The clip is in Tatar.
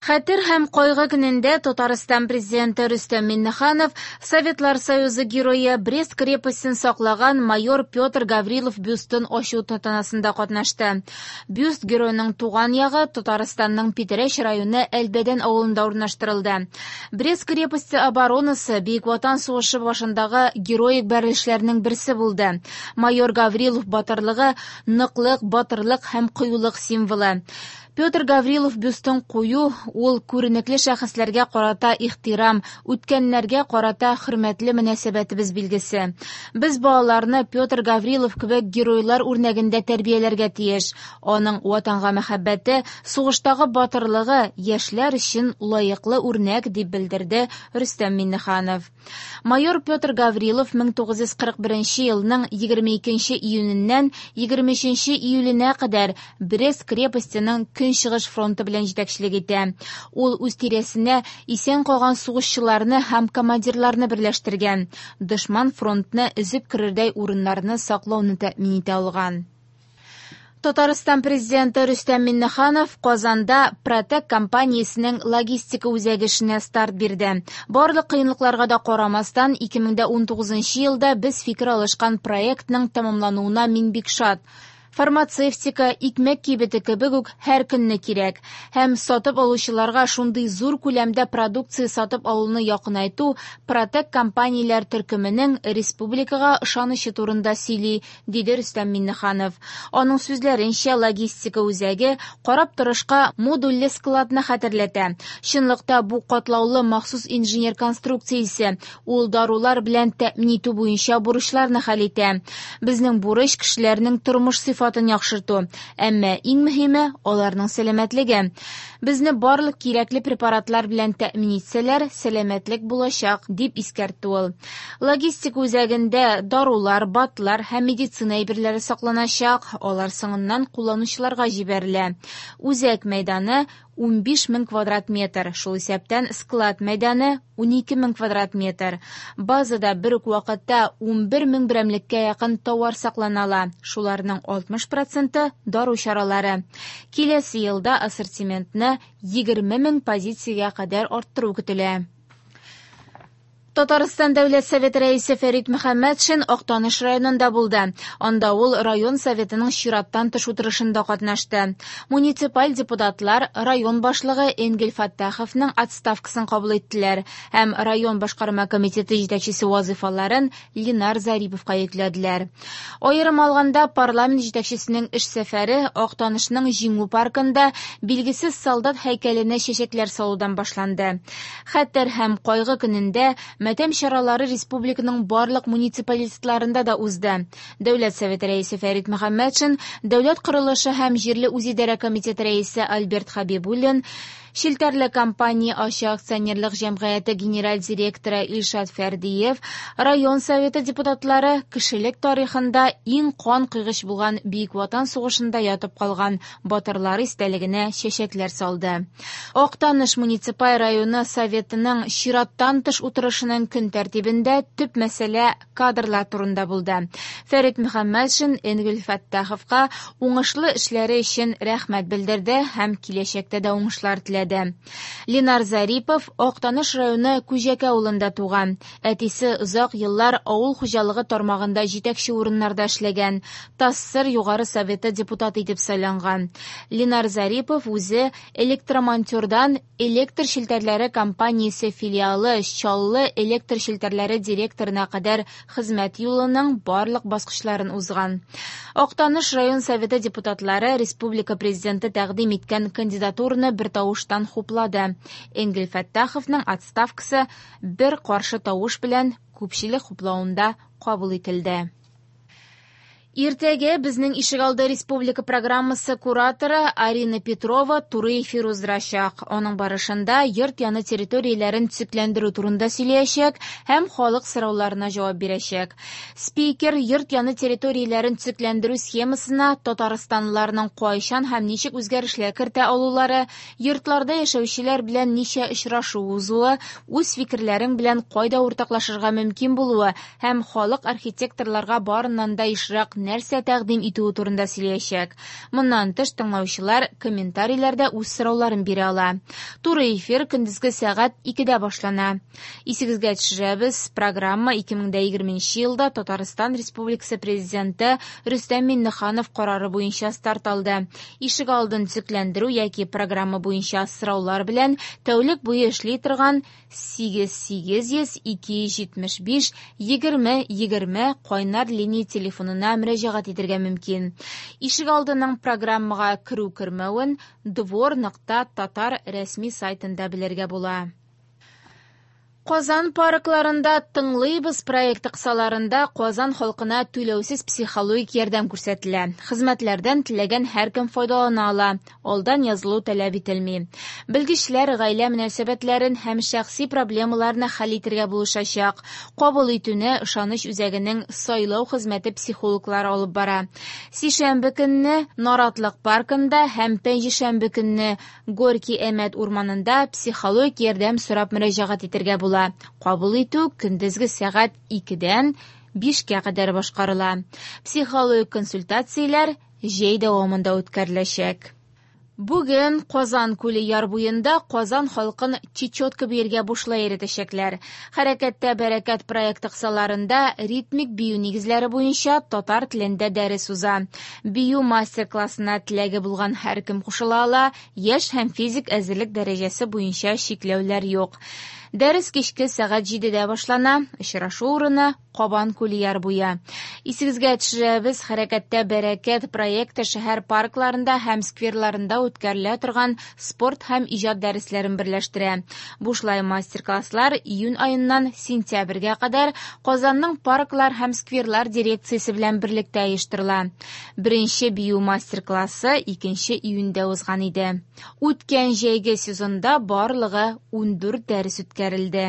Хәтер һәм кайгы көнендә Татарстан Президенты Рөстәм Миңнеханов Советлар Союзы Герое, Брест крепостен саклаган майор Петр Гаврилов бюстын ачу тантанасында катнашты. Бюст геройның туган ягы Татарстанның Питрәч районы Әлбәдән авылында урнаштырылды. Брест крепосте оборонасы Бөек Ватан сугышы башындагы героик бәрелешләрнең берсе булды. Майор Гаврилов батырлыгы ныклык, батырлык һәм кыюлык символы. Петр Гаврилов бюстын кую ул күренекле шәхесләргә карата ихтирам, үткәннәргә карата хөрмәтле мөнәсәбәтебез билгесе. Без балаларны Петр Гаврилов кебек геройлар үрнәгендә тәрбияләргә тиеш. Аның Ватанга мәхәббәте, сугыштагы батырлыгы яшьләр өчен лаеклы үрнәк, дип белдерде Рөстәм Миңнеханов. Майор Петр Гаврилов 1941 елның 22 июненнән 23 июленә кадәр Брест крепостеның Көнчыгыш фронты белән җитәкчелек итә. Ул үз тирәсенә исән калган сугышчыларны һәм командирларны берләштергән, дошман фронтны өзеп керердәй урыннарны саклауны тәэмин итә алган. Татарстан Президенты Рөстәм Миңнеханов Казанда Протек компаниясенең логистика үзәге эшенә старт бирде. Барлык кыенлыкларга да карамастан, 2019 елда без фикер алышкан проектның тәмамлануына мин бик шат. Фармацевтика, икмәк кибете кебек үк һәр көнне кирәк. Һәм сатып алучыларга шундый зур күләмдә продукция сатып алуны якынайту Протек компанияләр төркеменең республикага ышанычы турында сөйли, диде Рөстәм Миңнеханов. Аның сүзләренчә, логистика үзәге карап торышка модульле складны хәтерләтә. Чынлыкта бу катлаулы махсус инженер конструкциясе, ул дарулар белән тәэмин итү буенча бурычларны хәл итә. Безнең бурыч кешеләрнең тормыш сыйфатын яхшырту, әмма иң мөһиме аларның сәламәтлеге. Безне барлык кирәкле препаратлар белән тәэмин итсәләр, сәламәтлек булачак, дип искәртте ул. Логистика үзәгендә дарулар, БАДлар һәм медицина әйберләре сакланачак, алар соңыннан кулланучыларга җибәрелә. Үзәк мәйданы 15 мең квадрат метр, шул исәптән склад мәйданы 12 мең квадрат метр. Базада бер үк вакытта 11 мең берәмлеккә якын товар саклана ала, шуларның 60 проценты дару чаралары. Киләсе елда ассортиментны 20 мең позициягә кадәр арттыру көтелә. Татарстан Дәүләт Советы рәисе Фәрит Мөхәммәтшин Актаныш районында булды. Анда ул район советының чираттан тыш утырышында катнашты. Муниципаль депутатлар район башлыгы Энгель Фәттаховның отставкасын кабул иттеләр һәм район башкарма комитеты җитәкчесе вазыйфаларын Ленар Зариповка йөкләделәр. Аерым алганда, парламент җитәкчесенең эш сәфәре Актанышның Җиңү паркында билгесез солдат һәйкәленә чәчәкләр салудан башланды. Хәтер һәм кайгы көнендә матәм чаралары республиканың барлык муниципалитетларында да узды. Дәүләт Советы рәисе Фәрит Мөхәммәтшин, Дәүләт корылышы һәм җирле үзидарә комитеты рәисе Альберт Хәбибуллин, Челтәрле компания ачык акционерлык җәмгыяте генераль директоры Илшат Фәрдиев, район советы депутатлары кешелек тарихында иң кан койгыч булган Бөек Ватан сугышында ятып калган батырлар истәлегенә чәчәкләр салды. Актаныш муниципаль районы Советының чираттан тыш утырышының көн тәртибендә төп мәсьәлә кадрлар турында булды. Фәрит Мөхәммәтшин Энгель Фәттаховка уңышлы эшләре өчен рәхмәт белдерде һәм киләчәктә дә уңышлар теләде. Ленар Зарипов Актаныш районы Күҗәкә авылында туган. Әтисе озак еллар авыл хуҗалыгы тармагында җитәкче урыннарда эшләгән, ТАССР Югары Советы депутаты итеп сайланган. Ленар Зарипов үзе электромонтердан электр челтәрләре компаниясе филиалы Чаллы электр челтәрләре директорына кадәр хезмәт юлының барлык баскычларын узган. Актаныш район советы депутатлары республика президенты тәкъдим иткән кандидатураны бертавыштан хуплады. Энгель Фәттаховның отставкасы бер каршы тавыш белән күпчелек хуплавында кабул ителде. Иртәгә безнең ишегалды республика программасы кураторы Арина Петрова туры эфир уздырачак. Аның барышында йорт яны территорияләрен төзекләндерү турында сөйләячәк һәм халык сорауларына җавап бирәчәк. Спикер йорт яны территорияләрен төзекләндерү схемасына татарстанлыларның кайчан һәм ничек үзгәрешләр кертә алулары, йортларда яшәүчеләр белән ничә очрашу узуы, үз фикерләрең белән кайда уртаклашырга мөмкин булуы һәм халык архитекторларга барыннан да ешрак нәрсә тәкъдим итүе турында сөйләячәк. Моннан тыш, тыңлаучылар комментарийләрдә үз сорауларын бирә ала. Туры эфир көндезге сәгать 2дә башлана. Исегезгә төшерәбез, программа 2020 елда Татарстан Республикасы Президенты Рөстәм Миңнеханов карары буенча старт алды. Ишегалдын төзекләндерү яки программа буенча сораулар белән тәүлек буе эшли торган 8800 275 20 20 кайнар линия телефонына мөрәҗәгать итәргә мөмкин. Ишегалдының программага керү-кермәвен двор.татар рәсми сайтында белергә була. Казан паркларында «Тыңлыйбыз» проекты кысаларында Казан халкына түләүсез психологик ярдәм күрсәтелә. Хезмәтләрдән теләгән һәркем файдалана ала, алдан язылу таләп ителми. Белгечләр гаилә мөнәсәбәтләрен һәм шәхси проблемаларны хәл итәргә булышачак. Кабул итүне Ышаныч үзәгенең сайлау хезмәте психологлары алып бара. Сишәмбе көнне Наратлык паркында һәм пәнҗешәмбе көнне Горки-Әмәт урманында психологик ярдәм сорап мөрәҗәгать итәргә була. Кабул итү көндезге сәгать 2дән 5кә кадәр башкарыла. Психологик консультацияләр җәй дәвамында үткәреләчәк. Бүген Казан күле яр буенда Казан халкын чечетка биергә бушлай өйрәтәчәкләр. Хәрәкәттә бәрәкәт проекты кысаларында ритмик бию нигезләре буенча татар телендә дәрес уза. Бию мастер-классына теләге булган һәркем кушыла ала, яшь һәм физик әзерлек дәрәҗәсе буенча чикләүләр юк. Дәрес кичке сәгать 7дә башлана. Очрашу урыны Кабан күле яр буе. Исегезгә төшерәбез, Хәрәкәттә бәрәкәт проекты шәһәр паркларында һәм скверларында үткәрелә торган спорт һәм иҗат дәресләрен берләштерә. Бушлай мастер-класслар июнь аеннан сентябрьгә кадәр Казанның парклар һәм скверлар дирекциясе белән берлектә оештырыла. Беренче бию мастер-классы 2 июньдә узган иде. Үткән җәйге сезонда барлыгы 14 дәрес үткәрелде.